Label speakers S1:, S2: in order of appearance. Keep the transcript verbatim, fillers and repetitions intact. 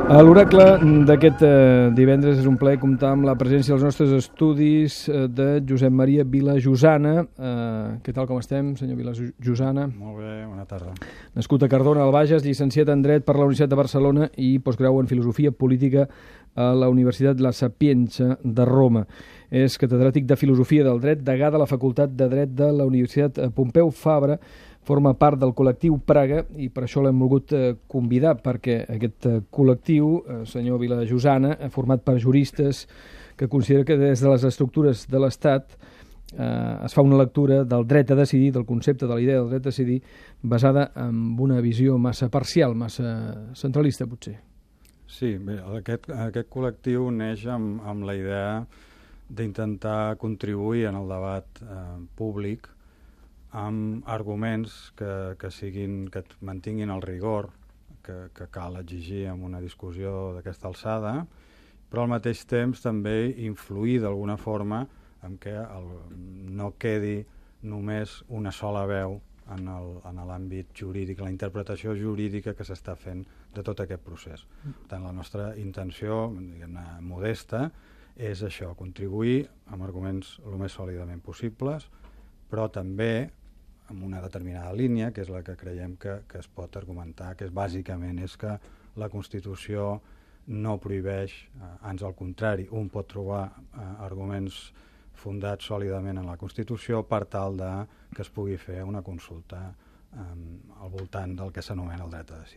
S1: A l'oracle d'aquest eh, divendres és un plaer comptar amb la presència dels nostres estudis eh, de Josep Maria Vilajosana. Eh, què tal, com estem, senyor Vilajosana?
S2: Molt bé, bona tarda.
S1: Nascut a Cardona, al Bages, llicenciat en Dret per la Universitat de Barcelona i postgrau en Filosofia Política a la Universitat La Sapienza de Roma. És catedràtic de Filosofia del Dret, degà de la Facultat de Dret de la Universitat Pompeu Fabra, forma part del col·lectiu Praga i per això l'hem volgut eh, convidar, perquè aquest eh, col·lectiu, eh, senyor Vilajosana, ha format per juristes que considera que des de les estructures de l'Estat eh, es fa una lectura del dret a decidir, del concepte de la idea del dret a decidir, basada en una visió massa parcial, massa centralista, potser.
S2: Sí, bé, aquest, aquest col·lectiu neix amb, amb la idea d'intentar contribuir en el debat eh, públic amb arguments que, que, siguin, que mantinguin el rigor que, que cal exigir en una discussió d'aquesta alçada, però al mateix temps també influir d'alguna forma en què el, no quedi només una sola veu en l'àmbit jurídic, la interpretació jurídica que s'està fent de tot aquest procés. Per tant, la nostra intenció, diguem-ne, modesta, és això, contribuir amb arguments el més sòlidament possibles, però també amb una determinada línia, que és la que creiem que, que es pot argumentar, que és bàsicament és que la Constitució no prohibeix, eh, ans al contrari, un pot trobar eh, arguments fundats sòlidament en la Constitució per tal de que es pugui fer una consulta eh, al voltant del que s'anomena el dret a decidir.